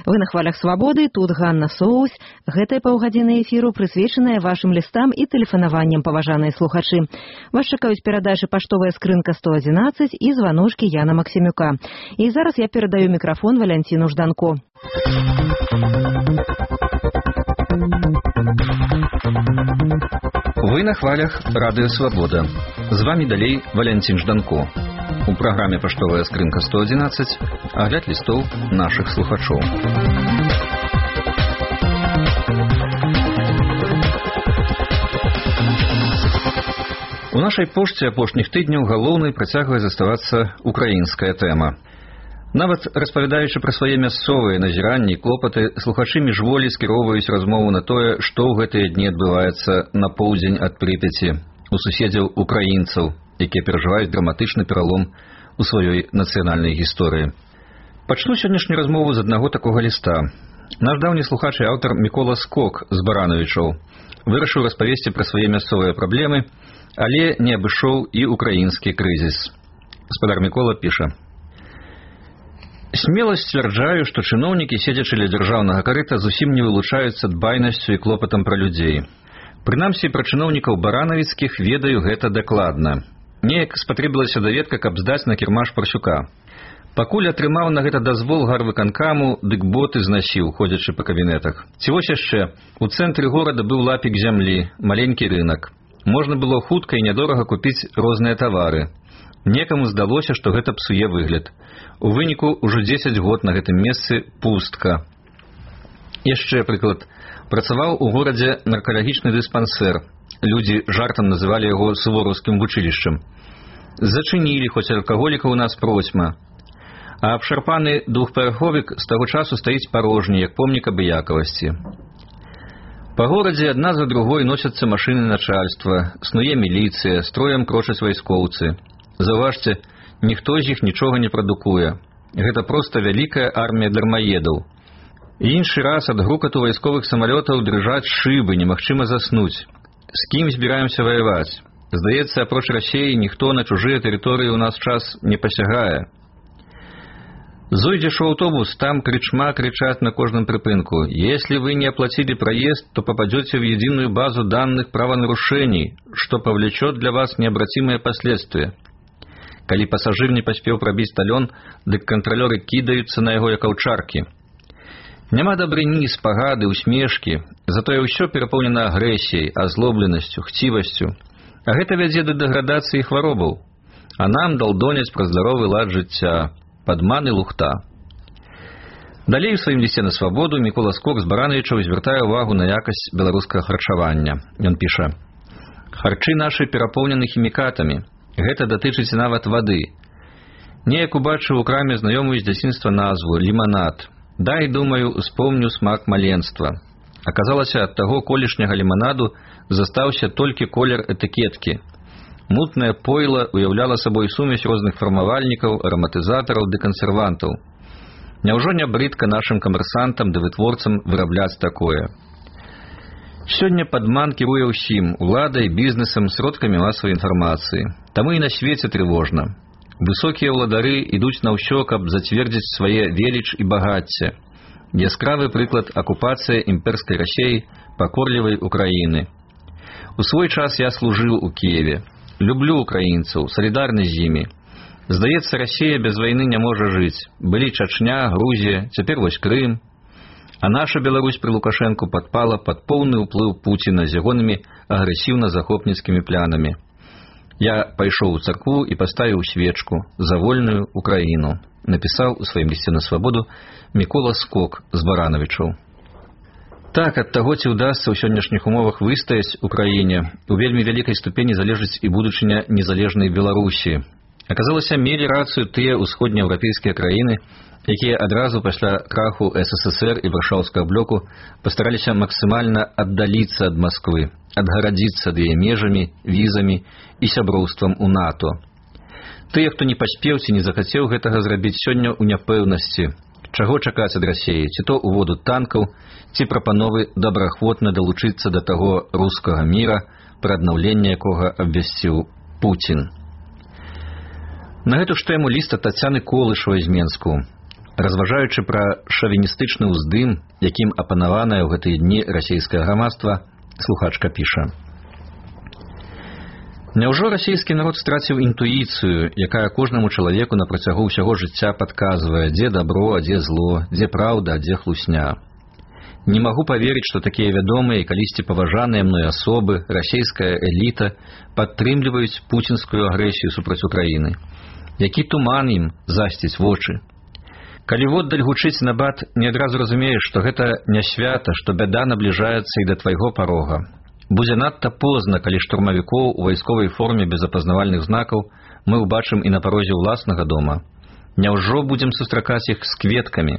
Вы на хвалях свабоды, тут Ганна Соус. Гэтая паўгадзіны эфіру прысвечаная вашым лістам і тэлефанаванням, паважаныя слухачы. Вас чакаюць перадачы паштовая скрынка 111 і званочкі Яна Максімюка. І зараз я перадаю мікрафон Валянціну Жданко. Вы на хвалях Радыё Свабода. З вами далей Валянцін Жданко. У праграме «Паштовая скрынка 111» агляд лістоў нашых слухачоў. У нашай пошце апошніх тыдняў галоўнай працягвае заставацца украінская тэма. Нават распавядаючы пра свае мясцовыя назіранні і клопаты, слухачы міжволі скіроўваюць размову на тое, што ў гэтыя дні адбываецца на поўдзень ад Прыпяці у суседзяў украінцаў, якія перажываюць драматычны пералом у сваёй нацыянальнай гісторыі. Пачну сённяшнюю размову з аднаго такога ліста. Наш даўні слухач і аўтар Мікола Скок з Баранавічоў вырашыў распавесці пра свае мясцовыя праблемы, але не абышоў і украінскі крызіс. Гаспадар Мікола піша: «Смело сцвярджаю, што чыноўнікі, седзячы ля дзяржаўнага карыта, зусім не вылучаюцца дбайнасцю і клопатам пра людзей. Прынамсі, пра чыноўнікаў баранавіцкіх ведаю гэта дакладна. Неяк спатрэбілася даведка, каб здаць на кірмаш Парсюка. Пакуль атрымаў на гэта дазвол гарвыканкаму, дык боты знасіў, ходзячы па кабінетах. Ці вось яшчэ, у цэнтры горада быў лапік зямлі, маленькі рынак. Можна было хутка і нядорага купіць розныя тавары. Некаму здалося, што гэта псуе выгляд. У выніку ўжо 10 год на гэтым месцы пустка. Яшчэ прыклад. Працаваў у горадзе наркалагічны дыспансер. Людзі жартам называлі яго сувораўскім вучылішчам. Зачынілі, хоць алкаголікаў у нас процьма. А абшарпаны двухпавярховік з таго часу стаіць парожні, як помнік абыякавасці. Па горадзе адна за другой носяцца машыны начальства, снуе міліцыя, строем крочаць вайскоўцы. Заўважце, ніхто з іх нічога не прадукуе. Гэта проста вялікая армія дармаедаў. Іншы раз ад грукату вайсковых самалётаў дрыжаць шыбы, немагчыма заснуць. З кім збіраемся ваяваць? Здаецца, апроч Расіі ніхто на чужыя тэрыторыі ў нас час не пасягае. Зойдзеш у аўтобус, там крычма кричат на кожным прыпынку: «Если вы не оплатили проезд, то попадете в единую базу данных правонарушений, что повлечет для вас необратимые последствия». Калі пасажыр не паспеў прабіць талён, дык кантралёры кідаюцца на яго як аўчаркі. Няма дабрыні, спагады, усмешкі, затое ўсё перапоўнена агрэсіяй, азлобленасцю, хцівасцю. А гэта вядзе да дэградацыі хваробаў. А нам далдоняць пра здаровы лад жыцця, падман і лухта. Далей у сваім лісце на свабоду Мікола Скок з Баранавічаў звяртае ўвагу на якасць беларускага харчавання. Ён піша: «Харчы нашы перапоўнены хімікатамі. Гэта датычыць нават вады. Неяк убачыў у краме знаёмую з дзяцінства назву ліманад. Дай, думаю, успомню смак маленства. Аказалася, ад таго колішняга ліманаду застаўся толькі колер этыкеткі. Мутнае пойла уяўляла сабой сумесь розных фармавальнікаў, араматызатараў ды кансервантаў. Няўжо не брыдка нашым камерсантам ды вытворцам вырабляць такое? Сёння падман кіруе ўсім – уладай, бізнесам, сродкамі масавай інфармацыі. Таму і на свеце трывожна. Высокія ўладары ідуць на ўсё, каб зацвердзіць свае веліч і багацце. Яскравы прыклад – акупацыя імперскай Расіі пакорлівай Украіны. У свой час я служыў у Кіеве. Люблю украінцаў, салідарны з імі. Здаецца, Расія без вайны не можа жыць. Былі Чачня, Грузія, цяпер вось Крым. А наша Беларусь пры Лукашэнку падпала пад поўны ўплыў Пуціна з ягонымі агрэсіўна-захопніцкімі планамі. Я пайшоў у царкву і паставіў свечку за вольную Украіну, напісаў у сваім лісце на свабоду Мікола Скок з Баранавічаў. Так, ад таго, ці ўдасца ў сённяшніх умовах выстаяць Украіне, у вельмі вялікай ступені залежыць і будучыня незалежнай Беларусі. Аказалася, мелі рацыю тыя ўсходнееўрапейскія краіны, якія адразу пасля краху СССР і варшаўскага блоку пастараліся максімальна аддаліцца ад Масквы, адгарадзіцца ад яе межамі, візамі і сяброўствам у НАТО. Тыя, хто не паспеў ці не захацеў гэтага зрабіць, сёння ў няпэўнасці. Чаго чакаць ад Расіі? Ці то уводу танкаў, ці прапановы добраахвотна далучыцца да таго рускага міра, пра аднаўленне якога абвясціў Пуцін. На гэту ж тэму ліст ад Тацяны Колышавай з Менску. Разважаючы пра шавіністычны ўздым, якім апанаванае ў гэтыя дні расійскае грамадства, слухачка піша: Няўжо расійскі народ страціў інтуіцыю, якая кожнаму чалавеку на працягу ўсяго жыцця падказвае, дзе дабро, а дзе зло, дзе праўда, а дзе хлусня? Не магу паверыць, што такія вядомыя і калісьці паважаныя мной асобы, расійская эліта, падтрымліваюць пуцінскую агрэсію супраць Украіны. Які туман ім засціць вочы? Калі воддаль гучыць набат, не адразу разумееш, што гэта не свята, што бяда набліжаецца і да твайго парога. Будзе надта позна, калі штурмавікоў у вайсковай форме без апазнавальных знакаў мы ўбачым і на парозе ўласнага дома. Няўжо будзем сустракаць іх з кветкамі?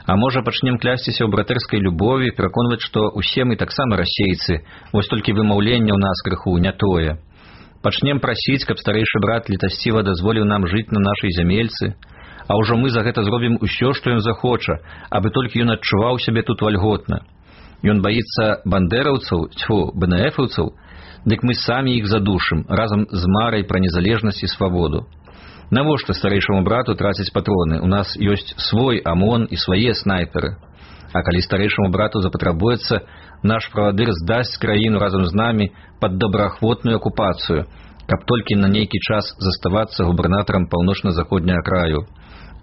А можа, пачнем клясціся ў братэрскай любові, пераконваць, што ўсе мы таксама расейцы, вось толькі вымаўленне ў нас крыху не тое. Пачнем прасіць, каб старэйшы брат літасціва дазволіў нам жыць на нашай зямельцы, а ўжо мы за гэта зробім усё, што ён захоча, абы толькі ён адчуваў сябе тут вальготна. Ён баіцца бандэраўцаў, БНФаўцаў, дык мы самі іх задушым, разам з марай пра незалежнасць і свабоду. Навошта старэйшаму брату траціць патроны? У нас ёсць свой АМОН і свае снайперы. А калі старэйшаму брату запатрабуецца, наш правадыр здасць краіну разам з намі пад добраахвотную акупацыю, каб толькі на нейкі час заставацца губернатарам паўночна-заходняга краю.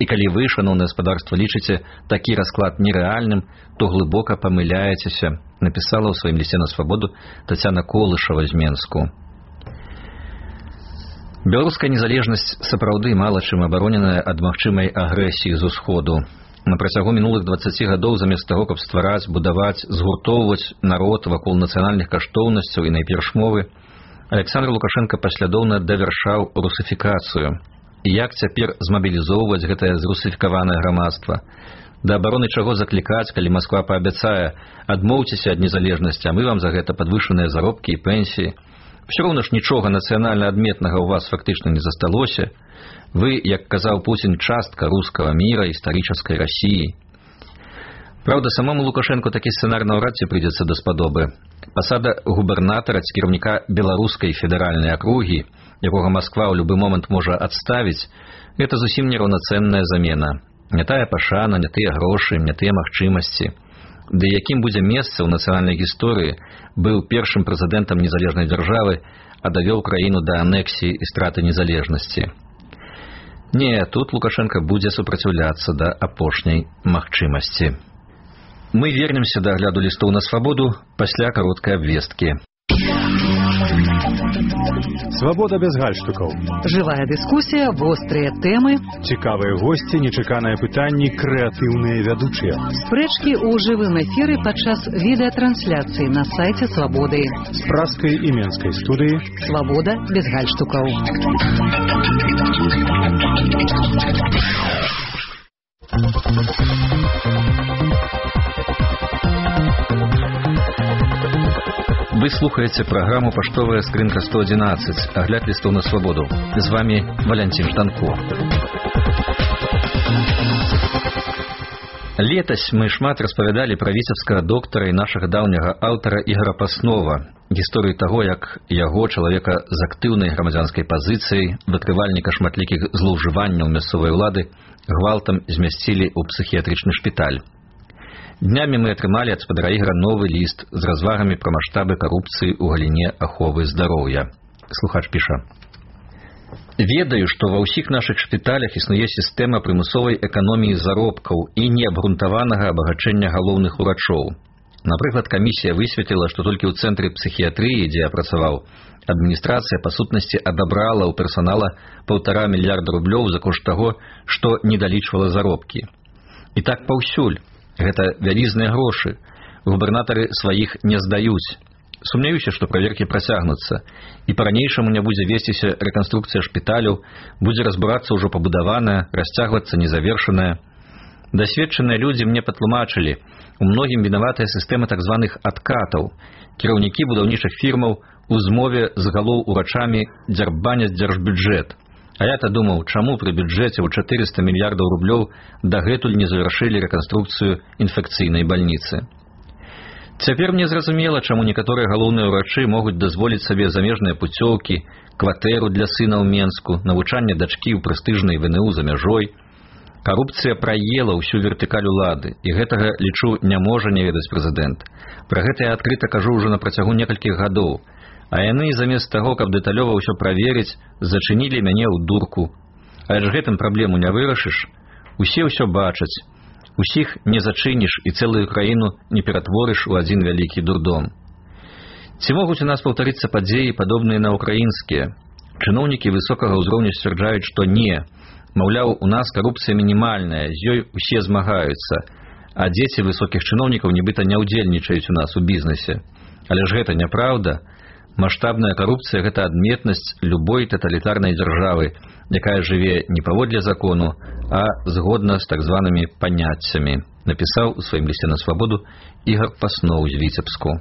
І калі вы, шаноўнае гаспадарства, лічыце такі расклад нерэальным, то глыбока памыляецеся, напісала ў сваім лісце на свабоду Тацяна Колышава з Менску. Беларуская незалежнасць сапраўды мала чым абароненая ад магчымай агрэсіі з усходу. На працягу мінулых 20 гадоў замест таго, каб ствараць, будаваць, згуртоўваць народ вакол нацыянальных каштоўнасцяў і найперш мовы, Александр Лукашенко паслядоўна давяршаў русыфікацыю. І як цяпер змабілізоўваць гэтае зрусыфікаванае грамадства? Да абароны чаго заклікаць, калі Масква паабяцае: адмоўцеся ад незалежнасці, а мы вам за гэта падвышаныя заробкі і пенсіі. Все роўна ж нічога нацыянальна адметнага ў вас фактычна не засталося. Вы, як казаў Пуцін, частка рускага міра, гістарычнай Расіі. Праўда, самому Лукашенку такі сцэнар наўрад ці прыйдзецца даспадобы. Пасада губернатара ці кіраўніка беларускай федэральнай акругі, якога Масква ў любы момант можа адставіць, гэта зусім нераўнацэнная замена. Не тая пашана, не тыя грошы, не тыя магчымасці. Ды якім будзе месца ў нацыянальнай гісторыі, быў першым прэзідэнтам незалежнай дзяржавы, а давёў краіну да анексіі і страты незалежнасці. Не, тут Лукашенко будзе супраціўляцца да апошняй магчымасці. Мы вернемся да агляду лістоў на свабоду пасля кароткай абвесткі. Свабода без гальштукаў. Жывая дыскусія, вострыя тэмы, Цікавыя госці, нечаканыя пытанні, крэатыўныя вядучыя. спрэчкі ў жывым эфіры падчас відэатрансляцыі на сайце Свабоды. З праскай і менскай студыі. Свабода без гальштукаў. Вы слухаеце праграму «Паштовая скрынка 111», агляд лістоў на свабоду. З вами Валянцін Жданко. Летась мы шмат распавядалі пра віцебскага доктара і нашага даўняга аўтара Ігора Паснова, гісторыю таго, як яго, чалавека з актыўнай грамадзянскай пазіцыяй, выкрывальніка шматлікіх злоўжыванняў мясцовай улады, гвалтам змясцілі ў псіхіятрычны шпіталь. Днямі мы атрымалі ад спадара Ігора новы ліст з развагамі пра маштабы карупцыі ў галіне аховы здароўя. Слухач піша: «Ведаю, што ва ўсіх нашых шпіталях існуе сістэма прымусовай эканоміі заробкаў і неабгрунтаванага абагачэння галоўных урачоў. Напрыклад, камісія высветліла, што толькі ў цэнтры псіхіятрыі, дзе я працаваў, адміністрацыя па сутнасці адабрала ў персанала 1,5 мільярда рублёў за кошт таго, што не далічвала заробкі. І так паўсюль. Гэта вялізныя грошы. Губернатары сваіх не здаюць. Сумняюся, што праверкі працягнуцца. І па-ранейшаму не будзе весціся рэканструкцыя шпіталяў, будзе разбурацца ўжо пабудаваная, расцягвацца незавершаная. Дасведчаныя людзі мне патлумачылі, у многім вінаватая сістэма так званых адкатаў. Кіраўнікі будаўнічых фірмаў у змове з галоў урачамі дзярбаняць дзяржбюджэт. А я-то думаў, чаму пры бюджэце ў 400 мільярдаў рублёў дагэтуль не завяршылі рэканструкцыю інфекцыйнай бальніцы. Цяпер мне зразумела, чаму некаторыя галоўныя ўрачы могуць дазволіць сабе замежныя пуцёўкі, кватэру для сына ў Менску, навучанне дачкі ў прэстыжнай ВНУ за мяжой. Карупцыя праела ўсю вертыкаль улады, і гэтага, лічу, не можа не ведаць прэзідэнт. Пра гэта я адкрыта кажу ўжо на працягу некалькіх гадоў. А яны, замест таго, каб дэталёва ўсё праверыць, зачынілі мяне ў дурку. Але ж гэтым праблему не вырашыш. Усе ўсё бачаць. Усіх не зачыніш і цэлую краіну не ператворыш у адзін вялікі дурдом. Ці могуць у нас паўтарыцца падзеі, падобныя на ўкраінскія? Чыноўнікі высокага ўзроўню сцвярджаюць, што не. Маўляў, у нас карупцыя мінімальная, з ёй усе змагаюцца, а дзеці высокіх чыноўнікаў нібыта не ўдзельнічаюць у нас у бізнесе. Але ж гэта няправда. Маштабная карупцыя – гэта адметнасць любой таталітарнай дзяржавы, якая жыве не паводле закону, а згодна з так званымі паняццямі, напісаў у сваім лісце на свабоду Ігар Пасноў з Віцебску.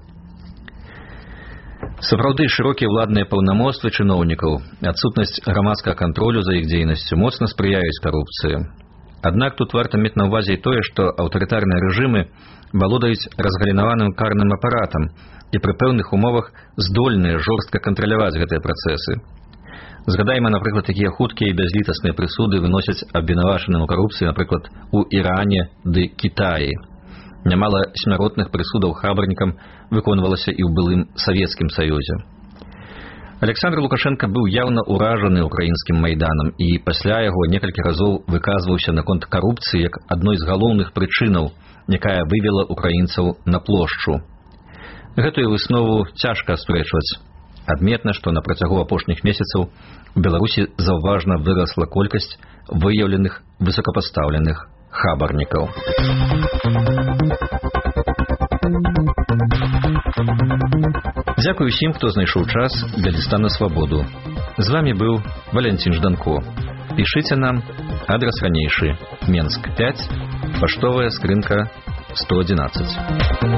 Сапраўды, шырокія ўладныя паўнамоцтвы чыноўнікаў, адсутнасць грамадскага кантролю за іх дзейнасцю моцна спрыяюць карупцыі. Аднак тут варта мець на ўвазе і тое, што аўтарытарныя рэжымы валодаюць разгалінаваным карным апаратам і пры пэўных умовах здольныя жорстка кантраляваць гэтыя працэсы. Згадайма, напрыклад, такія хуткія і бязлітасныя прысуды выносяць абвінавачаным у карупцыі, напрыклад, у Іране ды Кітаі. Нямала смяротных прысудаў хабарнікам выконвалася і ў былым Савецкім Саюзе. Александр Лукашенко быў яўна ўражаны ўкраінскім майданам і пасля яго некалькі разоў выказваўся наконт карупцыі як адной з галоўных прычынаў, якая вывела украінцаў на плошчу. Гэтую выснову цяжка аспрэчваць. Адметна, што на працягу апошніх месяцаў у Беларусі заўважна вырасла колькасць выяўленых высокапастаўленых хабарнікаў. Дзякую усім, хто знайшоў час для ліста на свабоду. З вамі быў Валянцін Жданко. Пішыце нам, адрас ранейшы, Менск 5, паштовая скрынка 111.